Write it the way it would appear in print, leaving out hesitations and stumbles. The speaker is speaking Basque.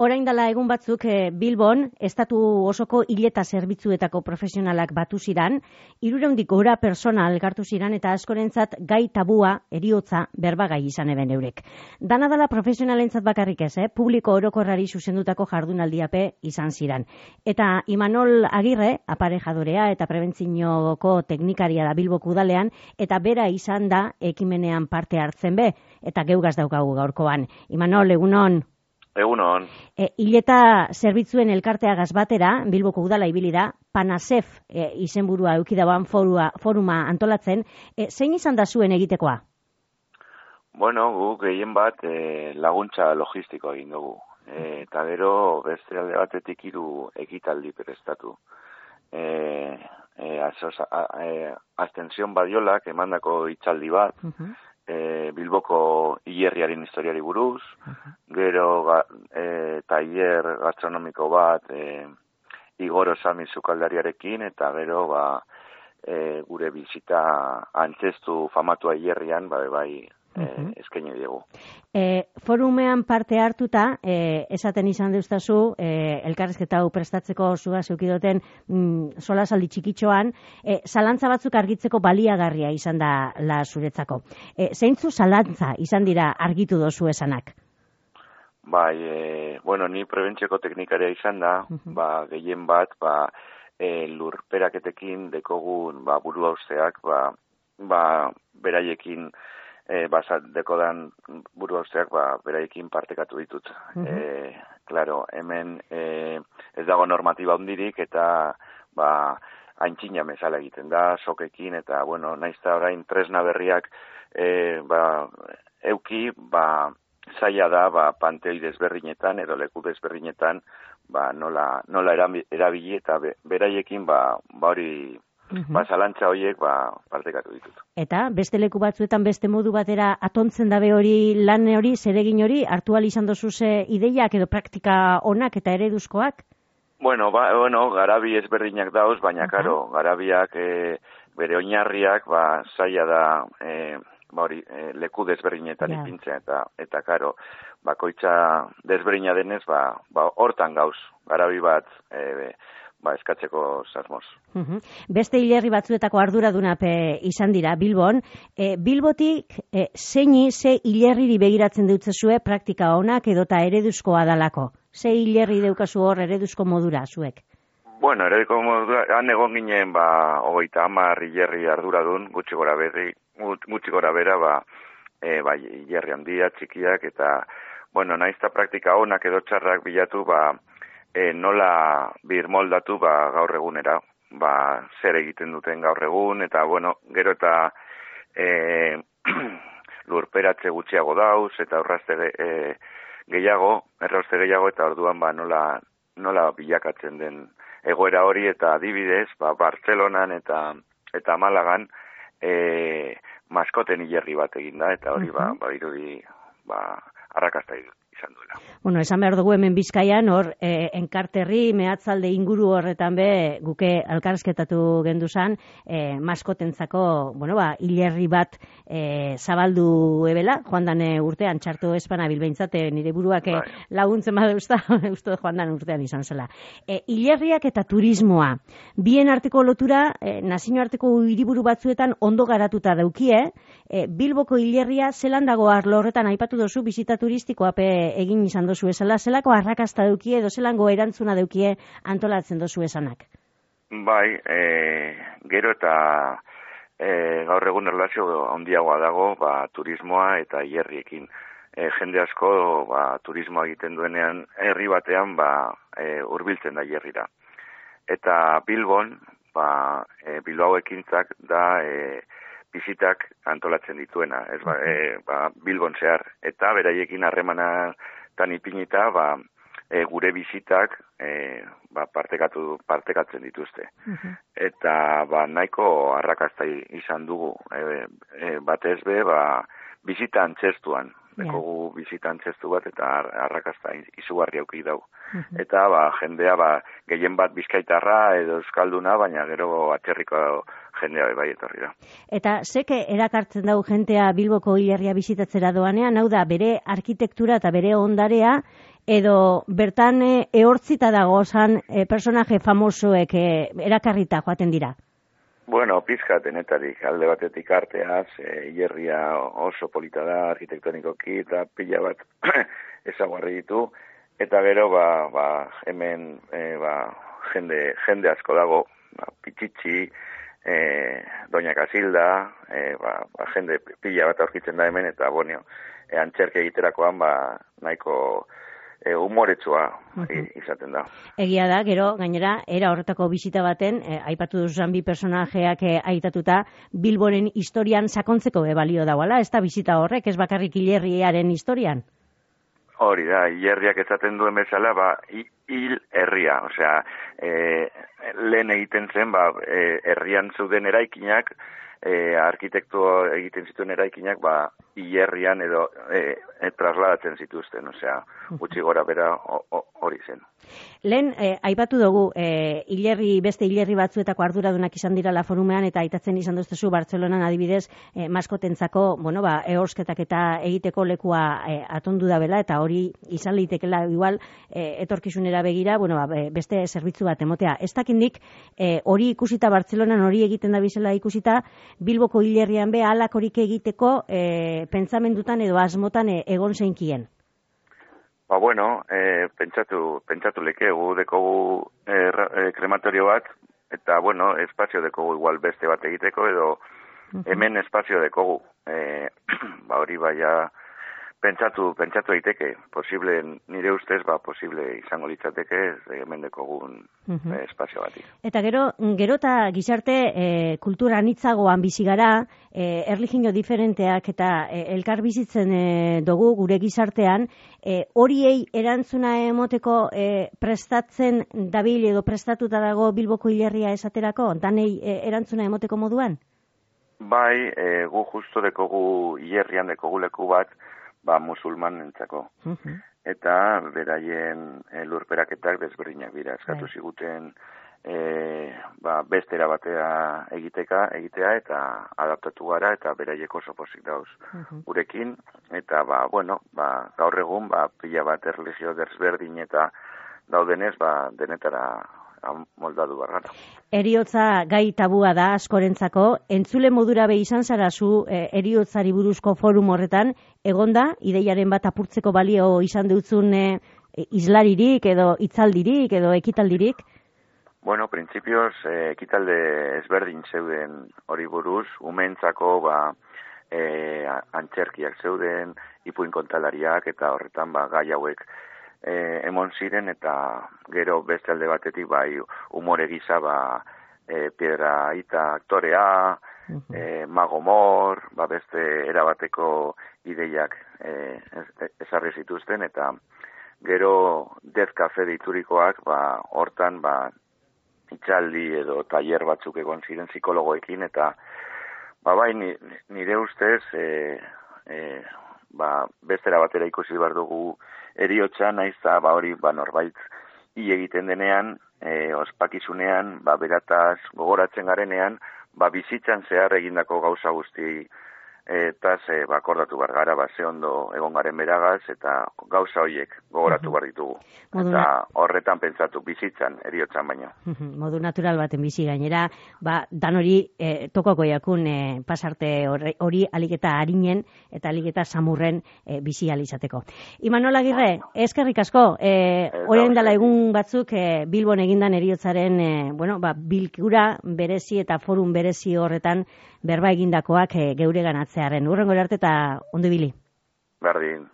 Orain dela egun batzuk Bilbon, estatu osoko hileta zerbitzuetako profesionalak batu ziran, 300 gora persona elkartu ziran eta askorentzat gai tabua, heriotza, berbagai izan eben eurek. Dana dela profesionalentzat bakarrik ez, publiko orokorrari zuzendutako jardunaldiape izan ziran. Eta Imanol Agirre, aparejadorea eta prebentzioko teknikaria da Bilboko udalean, eta bera izan da ekimenean parte hartzen be, eta geugaz daukagu gaurkoan. Imanol, egunon. Egunon. Hileta zerbitzuen elkarteagaz batera, Bilboko udala ibili da, Panasef izenburua eukidaban foruma antolatzen. Zein izan da zuen egitekoa? Bueno, guk gehien bat laguntza logistiko egin dugu. Eta gero beste alde batetik 3 ekitaldi prestatu. Astension Badiolak emandako hitzaldi bat, Bilboko hilerriaren historiari buruz, gero tailer gastronomiko bat Igor Osami sukaldariarekin, eta gero gure bizita antzestu famatua hilerrian bai eskaini diegu. Forumean parte hartuta, esaten izan deustazu, elkarrizketa hau prestatzeko zua zeukidoten solasaldi txikitxoan, zalantza batzuk argitzeko baliagarria izan da la zuretzako. Zeintzu zalantza izan dira argitu dozu esanak? Bai, ni prebentzioko teknikaria izan da, gehien bat, lurperaketekin dekogun burua usteak, beraiekin dekodan buru hausteak beraiekin partekatu ditut. Claro, hemen ez dago normatiba hundirik eta aintzina mesala egiten da, sokekin, eta naizta orain tresna berriak euki, zaila da panteoi desberdinetan edo leku desberdinetan nola erabili eta beraiekin hori zalantza horiek partekatu ditut. Eta beste leku batzuetan beste modu batera atontzen dabe hori lan hori, zeregin hori, hartu ahal izan dozuze ideiak edo praktika onak eta ereduzkoak? Garabi ezberdinak dauz, baina karo, garabiak bere oinarriak zaila da leku desberdinetan ipintzen eta karo, bakoitza desberdina denez, hortan gauz, garabi bat eskatzeko zasmoz. Beste hilerri batzuetako arduradunape izan dira Bilbon. Bilbotik ze hilerriri begiratzen deutzezue praktika onak edota ereduzkoa dalako? Ze hilerri deukazu hor ereduzko modura zuek? Ereduzko modura, han egon ginen 30 hilerri arduradun, gutxi gora bera, hilerri handia, txikiak, eta naizta praktika onak edo txarrak bilatu, nola birmoldatu gaur egunera, zer egiten duten gaur egun, eta gero eta lurperatze gutxiago dauz, eta errauste gehiago, eta orduan nola bilakatzen den egoera hori, eta adibidez, Bartzelonan eta Malagan maskoten hilerri bat egin da, eta hori irudi arrakasta izan duela. Esan behar dugu hemen Bizkaian, hor, enkarterri, mehatzalde inguru horretan guke elkarrizketatu genduzan, maskotentzako, hilerri bat zabaldu ebela, joan dan urtean, txarto espana bilbeintzate, nire buruak laguntzen badeusta, uste joan dan urtean izan zela. Hilerriak eta turismoa, bien arteko lotura, nazioarteko hiriburu batzuetan ondo garatuta daukie, Bilboko hilerria zelan dago arlo horretan aipatu dozu bizita turistikoa egin izan dozu esala, zelako arrakasta daukie edo zelango erantzuna daukie antolatzen dozu esanak? Gero eta gaur egun erlazio handiagoa dago turismoa eta hilerriekin. Jende asko turismoa egiten duenean herri batean hurbiltzen da hilerrira. Eta Bilbon, Bilbao ekintzak da bizitak antolatzen dituena, Bilbon zehar, eta beraiekin harremanetan ipinita, gure bizitak partekatzen dituzte. Eta nahiko arrakasta izan dugu, batez bizita antzestuan, dekogu bizita antzestu bat, eta arrakasta izugarri auki dau. Eta jendea gehien bat bizkaitarra edo euskalduna, baina gero atzerriko jendea etorri da. Eta zeke erakartzen dau jentea Bilboko hilerria bizitatzera doanean, hau da bere arkitektura eta bere ondarea edo bertan ehortzita dagozan personaje famosoek erakarrita joaten dira? Bueno, pizka denetarik, alde batetik arteaz, hilerria oso polita da, arkitektonikoki, eta pila bat ezaguarri ditu, eta gero, hemen, jende asko dago, Pitxitxi, Doña Casilda, jende pila bat aurkitzen da hemen, eta, antxerke egiterakoan, nahiko humoretsua izaten da. Egia da, gero, gainera, era horretako bisita baten, aipatu duzan bi personajeak aitatuta, Bilboren historian sakontzeko balio dauala, ez da bisita horrek, ez bakarrik hilerriaren historian? Hori da, hilerriak esaten duen bezala, hil herria, osea, lehen egiten zen, herrian zeuden eraikinak, arkitektu egiten zituen eraikinak, hilerrian edo trasladatzen zituzten, osea, gutxi gora bera hori zen. Lehen, aipatu dugu, beste hilerri batzuetako arduradunak izan dirala forumean, eta aitatzen izan duztezu Bartzelonan adibidez, maskotentzako, ehorsketak eta egiteko lekua atondu da bela, eta hori izan litekela igual etorkizunera begira, beste zerbitzu bat emotea. Ez dakindik, hori ikusita Bartzelonan hori egiten da bizela ikusita, Bilboko hilerrian be halakorik egiteko pentsamendutan edo asmotan egon zeinkien. Pentsatu lekegu, dekogu krematorio bat, eta, espazio dekogu igual beste bat egiteko, edo hemen espazio dekogu. Hori pentsatu egiteke, posible, nire ustez, posible izango litzateke, hemen dekogun espazio batik. Eta gero eta gizarte kultura anitzagoan bizi gara, erlijio diferenteak eta elkar bizitzen dugu gure gizartean, horiei erantzuna emoteko prestatzen dabil edo prestatuta dago Bilboko hilerria esaterako, danei erantzuna emoteko moduan? Bai, gu justo dekogu hilerrian dekogu leku bat, musulman entzako. Eta beraien lurperaketak desberdinak dira. Eskatu ziguten bestera batea egitea eta adaptatu gara eta beraiek oso pozik dauz gurekin. Eta gaur egun pila bat erlijio desberdin eta daudenez denetara moldatu bargara. Heriotza gai tabua da askorentzako. Entzule modura izan zara zu heriotzari buruzko forum horretan, egonda, ideiaren bat apurtzeko balio izan dutzun islaririk edo hitzaldirik edo ekitaldirik? Printzipioz, ekitalde ezberdin zeuden hori buruz, umeentzako antxerkiak zeuden, ipuin kontalariak eta horretan gai hauek emon ziren, eta gero beste alde batetik umore gisa Piedra Ita aktorea, Mago Mor, beste erabateko ideiak ezarri zituzten, eta gero Death Cafe deiturikoak hortan itxaldi edo tailer batzuk egon ziren psikologoekin, eta nire ustez bestera batera ikusi behar dugu heriotza, naiz eta hori norbait hil egiten denean, ospakizunean, berataz gogoratzen garenean, bizitzan zehar egindako gauza guzti eta akordatu behar gara, ze ondo egon garen beragaz, eta gauza horiek gogoratu behar ditugu. Eta horretan pentsatu, bizitzan, heriotzan baino. Modu natural baten bizi gainera, dan hori tokoko jakun pasarte hori aliketa harinen eta aliketa samurren bizi alizateko. Imanol Agirre, eskerrik asko, horien dela egun batzuk Bilbon egindan heriotzaren bilkura berezi eta forum berezi horretan berba egindakoak geure ganatzearen. Urrengo arte eta ondo ibili. Berdin.